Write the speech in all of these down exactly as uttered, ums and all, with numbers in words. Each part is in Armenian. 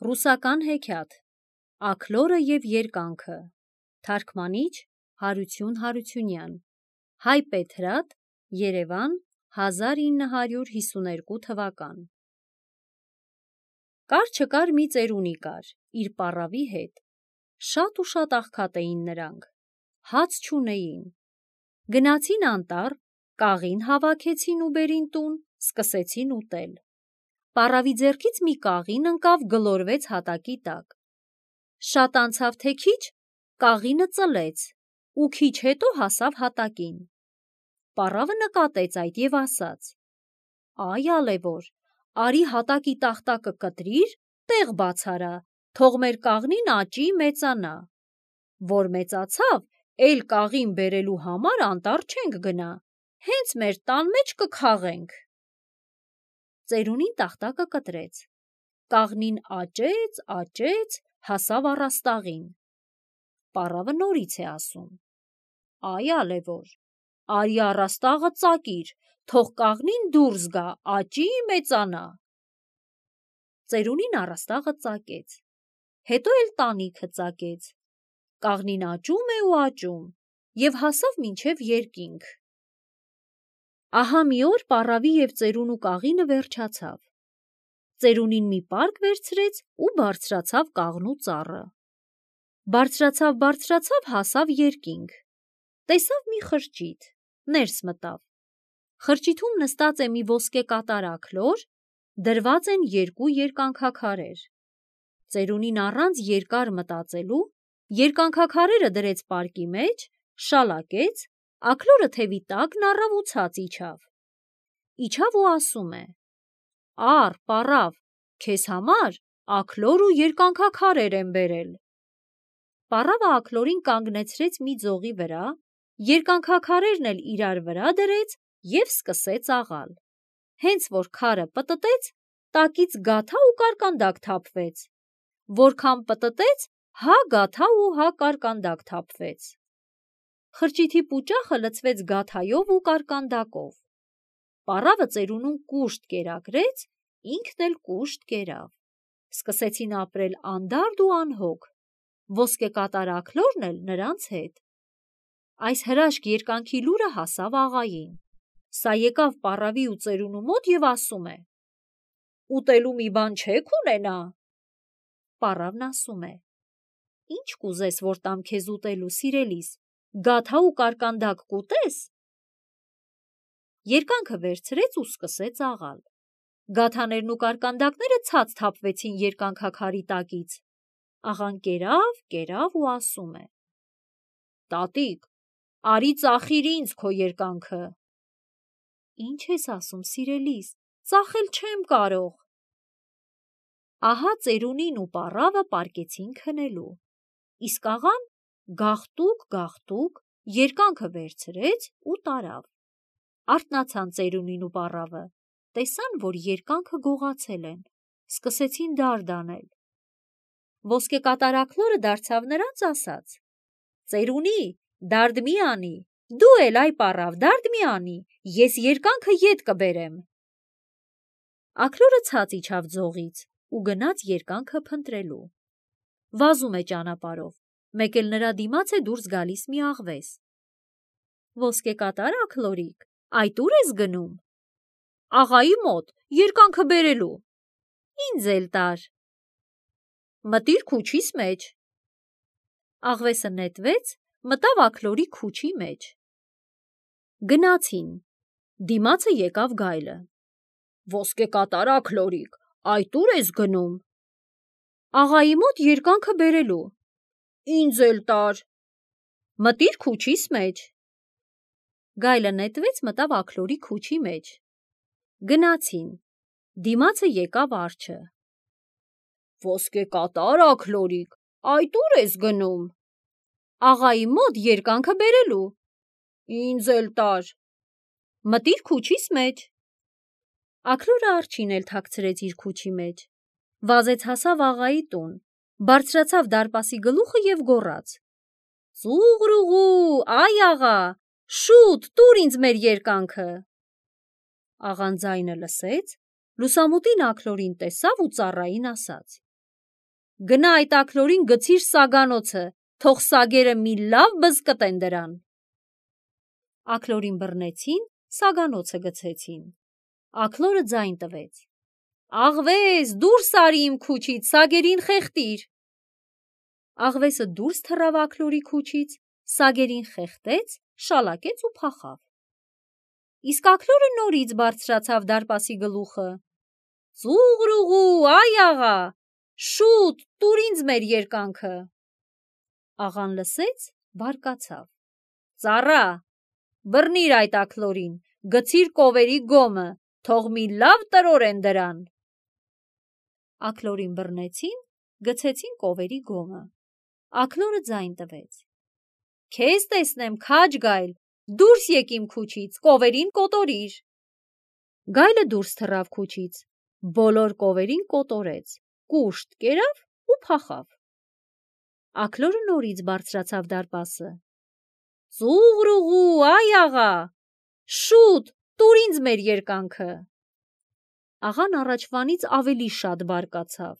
Ռուսական հեքիաթ Աքլորը և երկանքը Թարգմանիչ Հարություն Հարությունյան Հայ Պետրատ Երևան հազար ինը հարյուր հիսուներկու թվական Կար չկար մի ծերունի կար իր պառավի հետ, շատ ու շատ աղքատ էին նրանք, հաց չունեին, գնացին անտառ, կաղին հավաքեցին ու բերին տուն, սկսեցին ուտել, պառավի ձեռքից մի կաղին ընկավ գլորվեց հատակի տակ, շատ անցավ թե քիչ, կաղինը ծլեց ու քիչ հետո հասավ հատակին, պառավը նկատեց այդ և ասաց. «Այ ալևոր, արի հատակի տախտակը կտրիր, տեղ բաց արա, թող մեր կաղնին աճի, մեծանա, որ մեծացավ, էլ կաղին բերելու համար անտառ չենք գնա, հենց մեր տան մեջ կքաղենք»։ Ծերունին տախտակը կտրեց, կաղնին աճեց, աճեց, հասավ առաստաղին, պառավը նորից է ասում. «Այ ալևոր, արի առաստաղը ծակիր, թող կաղնին դուրս գա, աճի, մեծանա»։ Ծերունին առաստաղը ծակեց, հետո էլ տանիքը ծակեց, կաղնին աճում է ու աճում և հասավ մինչև երկինք։ Ահա մի օր պառավի և ծերունու կաղինը վերջացավ, ծերունին մի պարկ վերցրեց ու բարձրացավ կաղնու ծառը, բարձրացավ, բարձրացավ, հասավ երկինք, տեսավ մի խրճիթ, ներս մտավ, խրճիթում նստած է մի ոսկե կատար աքլոր, դրված են երկու երկանքաքարեր, ծերունին առանց երկար մտածելու երկանքաքարերը դրեց պարկի մեջ, շալակեց, աքլորը թևի տակն առավ ու ցած իջավ, իջավ ու ասում է. «Առ, պառավ, քեզ համար աքլոր ու երկանքաքարեր եմ բերել»։ Պառավը աքլորին կանգնեցրեց մի ձողի վրա, երկանքաքարերն էլ իրար վրա դրեց և սկսեց աղալ, հենց որ քարը պտտեց, տակից գաթա ու կարկանդակ թափվեց, որքան պտտեց, հա գաթա ու հա կարկանդակ թափվեց, խրճիթի պուճախը լցվեց գաթայով ու կարկանդակով, պառավը ծերունուն կուշտ կերակրեց, ինքն էլ կուշտ կերավ, սկսեցին ապրել անդարդ ու անհոգ, ոսկե կատար աքլորն էլ նրանց հետ։ Այս հրաշք երկանքի լուրը հասավ աղային, սա եկավ պառավի ու ծերունու մոտ և ասում է. «Ուտելու մի բան չե՞ք ունենա»։ Պառավն ասում է. «Ինչ կուզես, որ տամ քեզ ուտելու, սիրելիս, գաթա ու կարկանդակ կուտե՞ս»։ Երկանքը վերցրեց ու սկսեց աղալ, գաթաներն ու կարկանդակները ցած թափվեցին երկանքաքարի տակից, աղան կերավ, կերավ ու ասում է. «Տատիկ, արի ծախիր ինձ քո երկանքը»։ «Ինչ ես ասում, սիրելիս, ծախել չեմ կարող»։ Ահա ծերունին ու պառավը պառկեցին քնելու, իսկ աղան գաղտուկ, գաղտուկ երկանքը վերցրեց ու տարավ, արթնացան ծերունին ու պառավը, տեսան, որ երկանքը գողացել են, սկսեցին դարդ անել, ոսկե կատար աքլորը դարձավ նրանց, ասաց. «Ծերունի, դարդ մի անի, դու էլ այ պառավ, դարդ մի անի, ես երկանքը ետ կբերեմ»։ Աքլորը ցած իջավ ձողից ու գնաց երկանքը փնտրելու, վազում է ճանապարհով, մեկ էլ նրա դիմաց է դուրս գալիս մի աղվես. «Ոսկե կատար աքլորիկ, այդ ու՞ր ես գնում»։ «Աղայի մոտ, երկանքը բերելու»։ «Ինձ էլ տար»։ «Մտիր քուչիս մեջ»։ Աղվեսը նետվեց, մտավ աքլորի քուչի մեջ։ Գնացին, դիմացը եկավ գայլը. «Ոսկե կատար աքլորիկ, այդ ու՞ր ես գնում»։ «Աղայի մոտ երկանքը բերելու»։ «Ինձ էլ տար»։ «Մտիր քուչիս մեջ»։ Գայլը նետվեց, մտավ աքլորի քուչի մեջ։ Գնացին, դիմացը եկավ արջը. «Ոսկե կատար աքլորիկ, այդ ու՞ր ես գնում»։ «Աղայի մոտ երկանքը բերելու»։ «Ինձ էլ տար»։ «Մտիր քուչիս մեջ»։ Աքլորը արջին էլ թաքցրեց իր քուչի մեջ, վազեց հասավ աղայի տուն, բարձրացավ դարպասի գլուխը և գոռաց. «Ծուղրուղու, այ աղա, շուտ տուր ինձ մեր երկանքը»։ Աղան ձայնը լսեց, լուսամուտին աքլորին տեսավ ու ծառային ասաց. Գնա այդ աքլորին գցիր սագանոցը, թող սագերը մի լավ բզկտեն դրան։ Աքլորին բռնեցին, սագանոցը գցեցին։ Աքլորը ձայն տվեց. Աղվես, դուրս արի իմ քուչից, սագերին խեղդիր։ Աղվեսը դուրս թռավ աքլորի քուչից, սագերին խեղդեց, շալակեց ու փախավ։ Իսկ աքլորը նորից բարձրացավ դարպասի գլուխը. Ծուղրուղու, այ աղա, շուտ, տուր ինձ մեր երկանքը։ Աղան լսեց, բարկացավ. Ծառա, բռնիր այդ աքլորին, գցիր կովերի գոմը, թող մի լավ տրորեն դրան։ Աքլորին բռնեցին, գցեցին կովերի գոմը։ Աքլորը ձայն տվեց. Քեզ տեսնեմ, քաջ գայլ, դուրս եկ իմ քուչից, կովերին կոտորիր։ Գայլը դուրս թռավ քուչից, բոլոր կովերին կոտորեց, կուշտ կերավ ու փախավ։ Աքլորը նորից բարձրացավ դարպասը. Ծուղրուղու, այ աղա, շուտ, տուր ինձ մեր երկանքը։ Աղան առաջվանից ավելի շատ բարկացավ.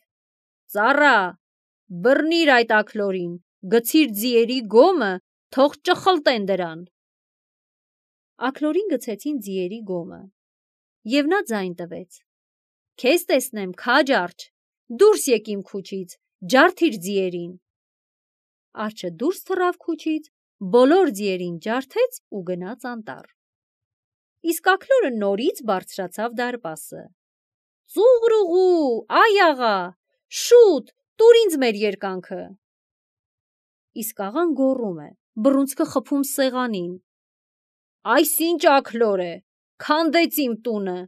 Ծառա, բռնիր այդ աքլորին, գցիր ձիերի գոմը, թող ճխլտեն դրան։ Աքլորին գցեցին ձիերի գոմը, և նա ձայն տվեց. Քեզ տեսնեմ, քաջ արջ, դուրս եկ իմ քուչից, ջարդիր ձիերին։ Արջը դուրս թռավ քուչից, բոլոր ձիերին ջարդեց ու գնաց անտառ։ Իսկ աքլորը նորից բարձրացավ դարպասը. Ծուղրուղու, այ աղա, շուտ, տուր ինձ մեր երկանքը։ Իսկ աղան գոռում է, բռունցքը խփում սեղանին. Այս ինչ աքլոր է, քանդեց իմ տունը,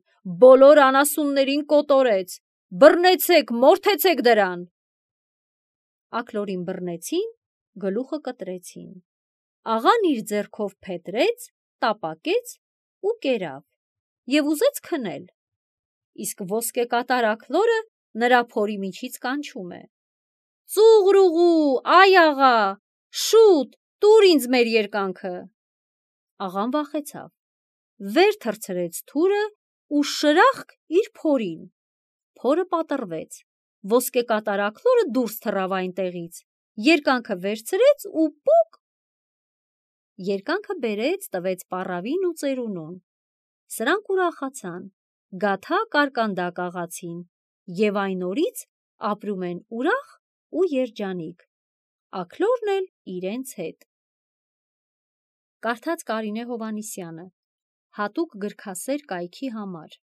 բոլոր անասուններին կոտորեց, բռնեցեք, մորթեցեք դրան։ Աքլորին բռնեցին, գլուխը կտրեցին։ Աղան իր ձեռքով փետրեց, տապակեց ու կերավ և ուզեց քնել։ Իսկ ոսկեկատար աքլորը նրա փորի միջից կանչում է. Ծուղրուղու, այ աղա, շուտ, տուր ինձ մեր երկանքը։ Աղան վախեցավ, վեր թռցրեց թուրը ու շրախկ իր փորին։ Փորը պատռվեց, ոսկեկատար աքլորը դուրս թռավ այնտեղից, երկանքը վերցրեց ու պուկ… Երկանքը բերեց, տվեց պառավին ու ծերունուն։ Սրանք ուրախացան, գաթա կարկանդակ աղացին և այն օրից ապրում են ուրախ ու երջանիկ, աքլորն էլ իրենց հետ։ Կարդաց Կարինե Հովհաննիսյանը, հատուկ գրքասեր կայքի համար։